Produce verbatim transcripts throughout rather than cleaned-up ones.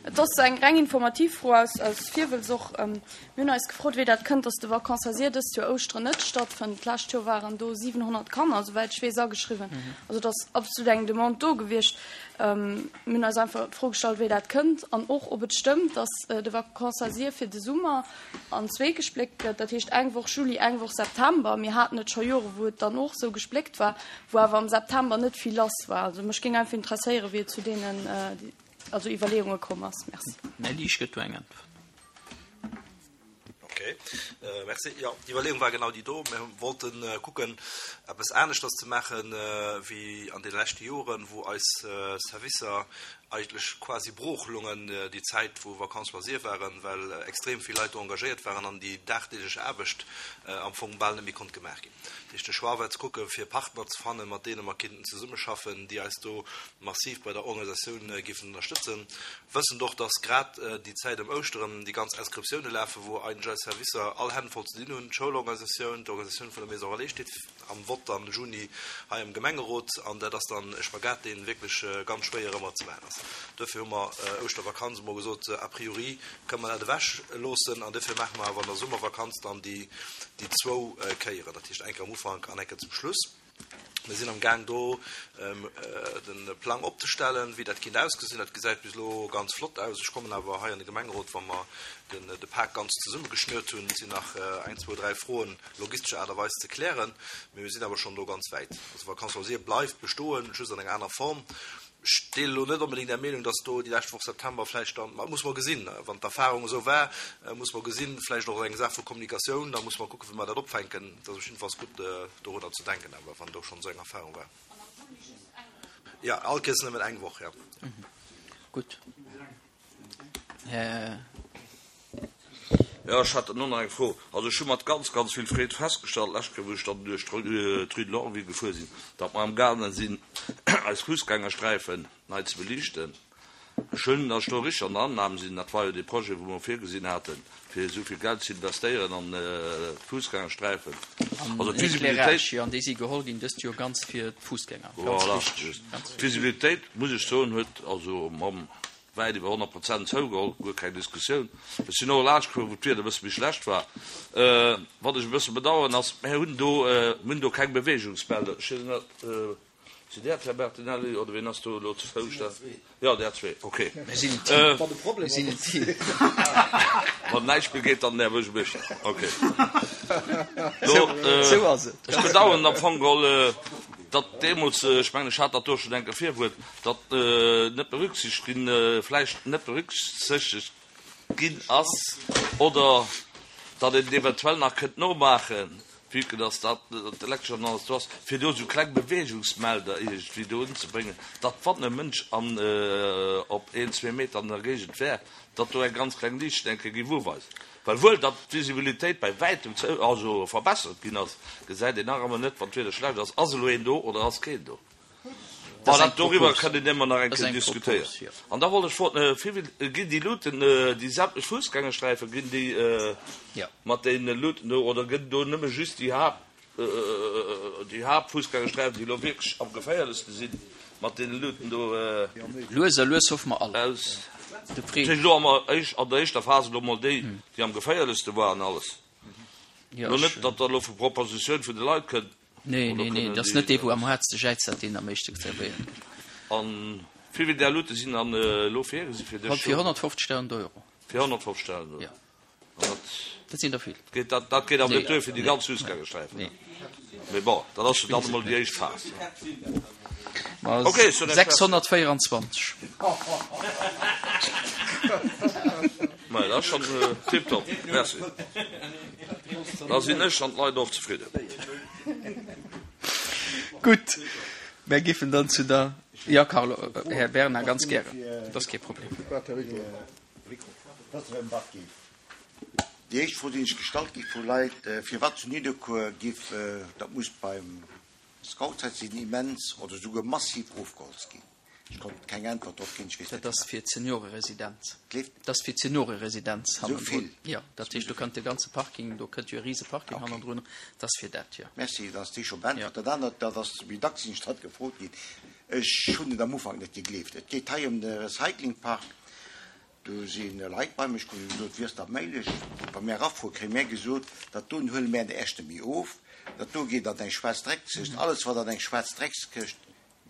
Et ass eng reng informativ Fro aus, aus Virwëlz och. Mir hunn eis gefrot, wéi dat kënnt, dass de Vacances loisirs dëst Joer Ouschteren net stattfënnt. D'lescht Joer waren do siwenhonnert Kanner, souwäit ech weess, ageschriwwen. Also et ass absolut eng Demande do gewiescht. Mir hunn eis einfach d'Fro gestallt, wéi dat kënnt an och, ob et stëmmt, dass de Vacances loisirs fir de Summer an zwee gespléckt gëtt, dat heescht eng Woch Juli, eng Woch September. Mir haten et scho Jore wou et dann och esou gespléckt war, wou awer am September net vill lass war. Also mech géing einfach interesséieren, wéi et zu deenen also Iwwerleeunge komm ass. Merci. Nelly, ech gëtt do eng Äntwert. Ok, merci. Jo, d'Iwwerleeung war genau déi do. Mir wollte kucken, eppes aneschters ze maachen, wéi an deene leschte Joren, wou eis Servicer eigentlech quasi brooch lungen déi Zäit, wou Vacances loisirs waren, well extrem vill Leit do engagéiert waren an déi dagdeeglech Aarbecht am Fong bal net méi konnt gemaach ginn. Dat heescht, de Choix war ze kucken, fir Partner ze fannen, mat deene mer kinnten zesummeschaffen, déi eis do massiv bei der Organisatioun géifen ënnerstëtzen, wëssend och, dass grad déi Zäit ëm Ouschteren déi ganz Inscriptioune lafen, wou eigentlech eis Servicer all Hänn voll ze dinn hunn, d'Schoulorganisatioun, d'Organisatioun vun der Maison Relais steet am Vott am Juni hei am Gemengerot, an dat ass dann e Spagat, dee wierklech ganz schwéier ëmmer ze maachen ass. Duerfir hu mer Ouschtervakanz emol gesot, a priori kënne mer dat ewech loossen, an duerfir maache mer awer an der Summervakanz dann déi zwou Kéieren, dat heescht eng Kéier am Ufank an eng Kéier zum Schluss. Mir sinn am Gaang do de Plang opzestellen, wéi dat kinnt ausgesinn. Dat gesäit bis elo ganz flott aus. Ech kommen awer hei an de Gemengerot, wa mer de Pak ganz zesummegeschnürt hunn. Et sinn nach eng, zwou, dräi Froen logistescher Aart a Weis ze klären, mee mir sinn awer schonn do ganz wäit. Also Vacances loisirs bleift bestoen, just an enger anerer Form. Ech deelen elo net onbedéngt Är Meenung, dass do déi lescht Woch September vläicht dann, ma muss mer gesinn, wann d'Erfahrung esou war, muss mer gesinn, vläicht och eng Saach vu Kommunikatioun, da muss mer kucken, wéi mer dat opfänken. Et ass op jiddefalls gutt, dorunner ze denken awer, wann do schonn esou eng Erfahrung war. Jo, all Kéiers nëmmen eng Woch, jo. Gutt. Här. Jo, ech hat dann och nach eng Fro. Also ech hu mat ganz, ganz vill Freed festgestallt, d'lescht Kéier, wou ech dann duerch d'Rue de Lorville gefuer sinn, datt mer amgaange sinn, eis Fussgängersträifen nei ze beliichten. Ech hunn, datt ech do richteg an der Annahme sinn, dat war jo dee Projet, wou mer virgesinn haten, fir esou vill Geld ze investéieren an d'Fussgängersträifen, also d'Visibilitéit. Jo, an déi si geholl ginn dëst Joer ganz fir d'Fussgänger. Ganz Voilà, richteg, ganz richteg. D'Visibilitéit, muss ech soen, huet also mam Wäit iwwer honnert Prozent zougeholl, guer keng Diskussioun. Ech sinn och laanscht gefuer, wou d'Wieder e bësse méi schlecht war. Wat ech e bësse bedauern ass, mir hunn do, mir hunn do keng Beweegungsmelder. Ech weess net, sidd Där d'Här Bertinelli oder wien ass do elo zu Fouschter? Jo, där zwee, okay. Mir sinn en Team. Mir sinn en Team. Wann näischt méi geet, dann den Här Buergermeeschter. Okay. Sou ass et. Ech bedauern am Fong geholl, datt deemools, ech mengen, ech hat dat do schonn eng Kéier virgehuet, datt net berücksichtegt ginn, vläicht net berücksichtegt ginn ass oder datt een et eventuell nach kënnt nomaachen, vue que datt dat d'Elektresch an alles do ass, fir do esou kleng Beweegungsmelder iergendwéi do unzebréngen, datt wann e Mënsch an op een, zwee Meter an der Géigend wär, datt do eng ganz kleng Liicht eng Kéier géif uweisen. Well wuel datt d'Visibilitéit bei wäitem zou, also verbessert ginn ass, gesäit een nach ëmmer net, wann d'Wieder schlecht ass, ass elo een do oder ass keen do. Bon, dat doriwwer kënnt een ëmmer nach eng Kéier diskutéieren. An da wollt ech froen, wéi vill ginn déi Luuten, déi sämtlech Fussgängersträifen, ginn déi mat deene Luuten do oder gëtt do nëmme just déi Haapt, déi Haaptfussgängersträifen, déi elo wierklech am geféierlechste sinn, mat deene Luuten do Lues a lues hoffe mer all. aus. Dat heescht elo am an der éischter Phas elo mol déi, déi am geféierlechste waren, alles. Elo net, datt der elo vu Propositioun vun de Leit kënnt. Nee, nee, nee, dat ass net dee, wou am haartste jäizt, dat deen am éischte zerwéiert gëtt. A wéi vill där Luute sinn dann elo virgesi fir dës Fir honnertfofzegdausend Euro. Fir honnertfofzegdausend Euro. Jo. Dat sinn der vill. Dat, dat geet awer net duer fir déi ganz Fussgängersträifen. Nee. Mee bon, dat ass jo dann emol déi éischt Phas. Okay, sechshonnertvéieranzwanzeg. Ma dat ass schonn tiptop. Merci. Da sinn ech an d'Leit och zefridden. Gutt, mär giffen dann zu der, jo Carlo, Här Bernard, ganz gären, dat ass kee Problem. Déi éischt Fro, déi ech gestallt gi vu Leit, firwat zu Nidderkuer giff, dat muss beim Scoutshäit sinn, immens oder souguer massiv ofgeholzt ginn. Ech konnt keng Äntwert drop ginn, ech weess net Dat ass fir d'Senioreresidenz. Dat ass fir d'Senioreresidenz hannendrun. Jo, dat heescht, do kënnt de ganze Parking, do kënnt jo e rise Parking hannendrun. Dat ass fir dat, jo. Merci, dann ass déi scho beäntwert. Dat anert, dat ass méi dacks sinn ech dat gefrot ginn, ech hunn et am Ufank net gegleeft. Et geet hei ëm de Recyclingpark. Do si Leit bei mech komm, déi hu gesot, Wéi ass dat méiglech? Wa mär erafuere, kréie mär gesot, dat doen huele mär de Äschte méi of, dat do geet an eng schwaarz Dreckskëscht. Alles, wat an eng schwaarz Dreckskëscht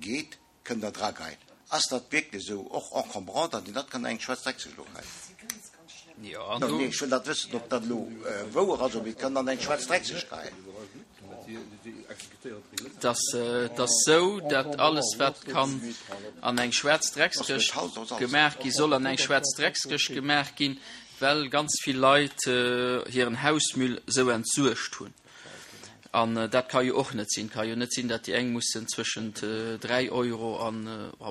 geet, kënnt Der drageien. Ass dat wierklech esou? Och encombrant, datt een dat kann an eng schwaarz Dreckskëscht elo geheien? Jo, an do. Nee, ech wëll dat wëssen, ob dat elo wouer ass, ob een et kann an eng schwaarz Dreckskëscht geheien. Et ass, et ass esou, datt alles, wat kann an eng schwaarz Dreckskëscht gemaach gi soll an eng schwaarz Dreckskëscht gemaach ginn, well ganz vill Leit hiren Hausmüll esou entsuergt hunn. An dat ka jo och net sinn. Et ka jo net sinn, datt déi eng mussen zwëschent dräi Euro an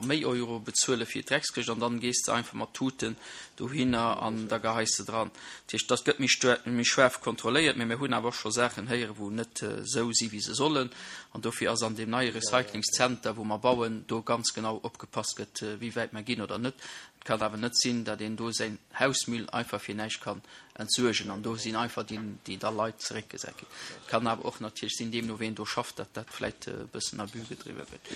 méi Euro bezuele fir d'Dreckskëscht an dann gees de einfach mat Tuten dohinner an da geheis de dran. Dat heescht, dat gëtt méi méi schaarf kontrolléiert, mä mir hunn awer och scho Saachen héieren, wou net esou si wéi se sollen. An dofir ass an deem neie Recyclingszenter, wou mer bauen, do ganz genau opgepasst gëtt, wéi wäit mer ginn oder net. Et kann awer net sinn, datt een do säin Hausmüll einfach fir näischt kann entsuergen an do sinn einfach déi, déi da Leit zeréckgesat ginn. Et kann awer och natierlech sinn, deemno ween do schafft, datt dat vläicht e bëssen Abus gedriwwe gëtt.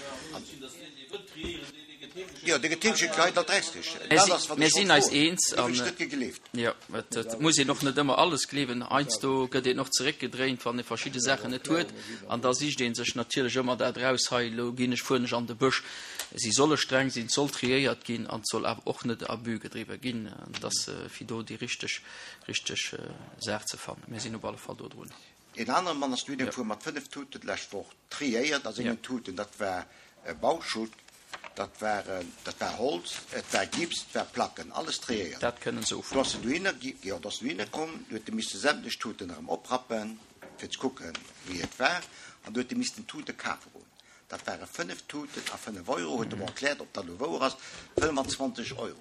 Jo, dee gëtt heemschéckt gehei, dat Dreckskëscht. Dat ass, wat Mir ech sinn wollt eis froen. eens Do hunn an ech net gegleeft. jo, et, et muss een och net ëmmer alles gleewen. Heiansdo gëtt een och zeréckgedréint, wann ee verschidde Saachen net huet an da sicht ee sech natierlech ëmmer dat eraus, hei elo ginn ech, fueren ech an de Bësch. Si solle streng sinn, et soll triéiert ginn an et soll awer och net Abus gedriwwe ginn, dass fir do déi richteg, richteg Saach ze fannen. Mir sinn op alle Fall do drun. Een anere Mann ass dohinner gefuer mat fënnef Tuten d'lescht Woch, triéiert a sengen Tuten. Dat war Bauschutt, dat war, dat war Holz, et war Gips, et war Placken, alles triéiert. Dat kënnen se Do ufueren. ass en dohinner, jo, do ass en dohinner komm, do huet e misse sämtlech Tuten erëm oprappen, fir ze kucken, wéi et war, an do huet e missten Tute kafe goen. Dat ware fënnef Tuten a fënnef Euro, huet e mer erkläert, ob dat elo wouer ass, fënnfanzwanzeg Euro.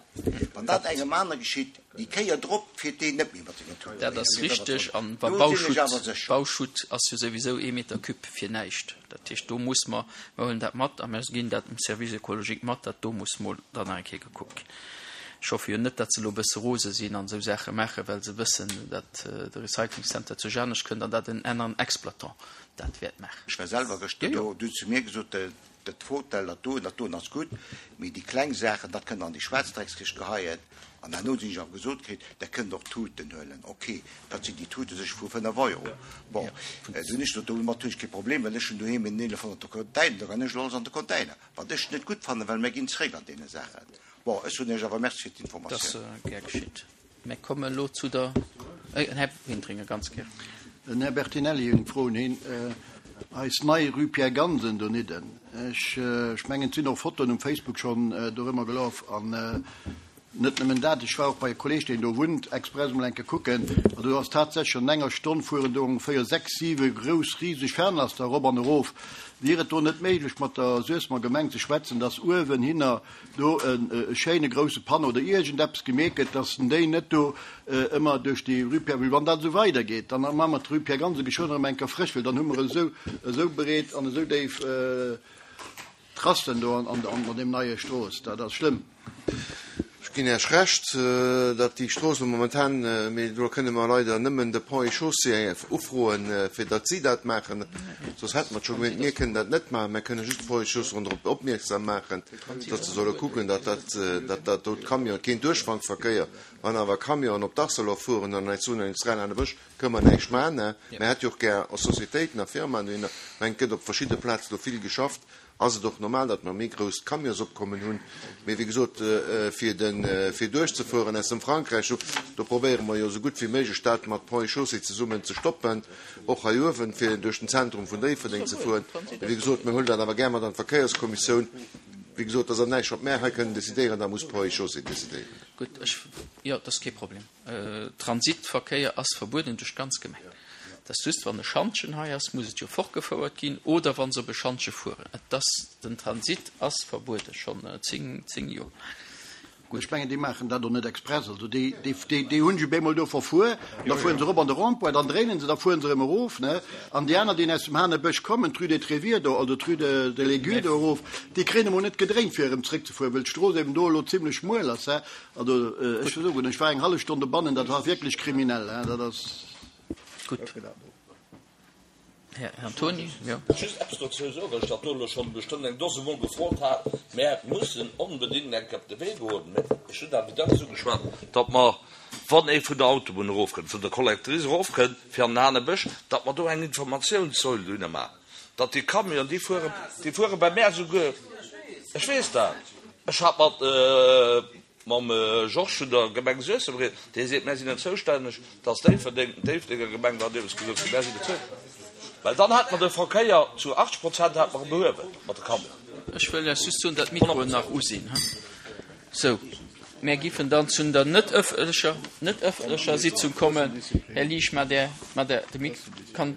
Wann dat engem aner geschitt, déi Kéier drop fiert deen net méi mat sengen Tuten. Dat ass richteg. An wa Do sinn ech Bauschutt, awer sécher. Bauschutt ass jo souwisou ee Meter cube fir näischt. Dat heescht, do muss mer, mer huelen dat mat a mer ginn dat dem Service écologique mat, dat do muss mol dann nach eng Kéier gekuckt ginn. Ech hoffe jo net, datt se elo e bësse rose sinn an esou Saache maachen, well se wëssen, datt de Recyclingcenter zu Jänech kënnt an datt en aneren Exploitant dat wäert maachen. Ech war selwer gëschter do, du hues zu mir gesot, dat Fauteuil, dat doen, dat doen ass gutt, mee déi kleng Saachen, dat kënnt an déi schwaarz Dreckskëscht geheien. An herno sinn ech awer gesot kritt, Der kënnt och Tuten huelen. Ok, dat sinn déi Tute sech vu fënnef Euro. Bon, du hunn ech gesot, domat hunn ech kee Problem, well ech hunn doheem en eelefhonnert Container, da kann ech elo alles an de Container. Wat ech net gutt fannen, well mir ginn zeréck an deene Saachen. Bon, ech soen Iech awer Merci fir d'Informatioun. Dat ass gär geschitt. Mir kommen elo zu der, den Här Wintringer, ganz gär. Den Här Bertinelli huet eng Fro un hien. Eis nei Rue Pierre Gansen donidden, ech mengen, et sinn och Fotoen um Facebook schonn dorëmmer gelaf. An net nëmmen dat, ech war och bei e Kolleeg, deen do wunnt, express emol eng Kéier kucken. An do ass tatsächlech an enger Stonn fueren do ongeféier sechs, siwe grouss, riseg Fernlaster erop an erof. Wier et do net méiglech, mat der Suessemer Gemeng ze schwätzen, dass uewenhinner do e schéine grousse Panneau oder iergendeppes gemeet gëtt, dass en déi net do ëmmer duerch déi Rue Pierre, well wann dat esou weidergeet, dann maache mer d'Rue Pierre Gansen geschwënn erëm eng Kéier frësch, well dann hu mer esou, esou breet an esou déif Trassen do an, an deem neie Strooss. Dat ass schlëmm. Ech ginn Iech Recht, datt déi Strooss elo momentan, mee do kënne mer leider nëmmen de Ponts et Chaussées ufroen, fir datt si dat maachen, soss hätte mer et scho gemeet. Mir kënnen dat net maachen, mir kënne just d'Ponts et Chaussées drop opmierksam maachen, datt se solle kucken, datt dat, datt dat do d'Camionen, keen Duerchfangverkéier, wann awer Camionen op d'Arcelor fueren an eis Zone industrielle an de Bësch, kënne mer näischt maachen. Mir hätte jo och gär Sociétéiten a Firmaen dohinner. Ech mengen, et gëtt op verschidde Plazen do vill geschafft. Ass et och normal, datt mer méi grouss Camionsopkommen hunn. Mee wéi gesot, fir de, fir duerchzefueren aus dem Frankräich, do, do probéiere mer jo esou gutt wéi méiglech, dat mat Ponts et Chaussées zesummen ze stoppen, och hei uewen, fir duerch den Zentrum vun Déifferdeng ze fueren. Mee wéi gesot, mir huelen dat awer gär mat an d'Verkéierskommissioun. Wéi gesot, dat ass näischt, wat mär hei kënnen decidéieren, dat muss Ponts et Chaussées decidéieren. Gutt, ech, jo, dat ass kee Problem. Transitverkéier ass verbueden duerch d'ganz Gemeng. Dat ass just, wann e Schantjen hei ass, muss et jo fortgefouert ginn, oder wann se op e Schantje fueren. Et ass, den Transit ass verbueden, schonn zéng, zéng Joer. Gutt. Ech mengen, déi maachen dat och net express. Also déi, déi, déi, déi hunn sech op eemol do verfuer, da fueren se erop an de Rond-point, dann dréinen se, da fueren se erëm erof, ne? An déi aner, déi aus dem Hanebësch kommen, d'Rue des Tréviers do, oder d'Rue de, de l'Aiguille do erof, déi kréien emol net gedréint, fir erëm zréckzefueren, well d'Strooss eben do elo zimlech schmuel ass, he? Also, ech wëll soen, ech war eng hallef Stonn dobannen, dat war wierklech kriminell, he? Dat ass. Gutt. Här Antoni, jo. Just eppes dozou soen, well ech dat do elo schonn bestëmmt eng Dose Mol gefrot hat, Mär mussen onbedéngt eng Kéier op de Wee goen, mä ech hunn dat méi dacks ugeschwat, datt mer, wann ee vun der Autobunn erofkënnt, vun der Collectrice erofkënnt fir an den Hanebësch, datt mer do eng Informatiounssäul dohinner maachen, datt déi Camionen, déi fuere, déi fuere bei mär souguer, ech weess dat, ech hat mat. Mam Georges vun der Gemeng Suessem rieden, dee seet, mär sinn net zoustänneg, dass Déifferdeng, d'Déifferdenger Gemeng war deemools gesot ginn, mär sinn net zoustänneg, well dann hätte mer de Verkéier zu achtzeg Prozent hätte mer e behuewen mat de Camionen. Ech wëll lech just soen, datt d'Mikroen nach u sinn. Sou, mär giffen dann zu der net ëffentlecher, net ëffentlecher Sitzung kommen. Här Liesch, mat där, mat där, de Mik. Kann.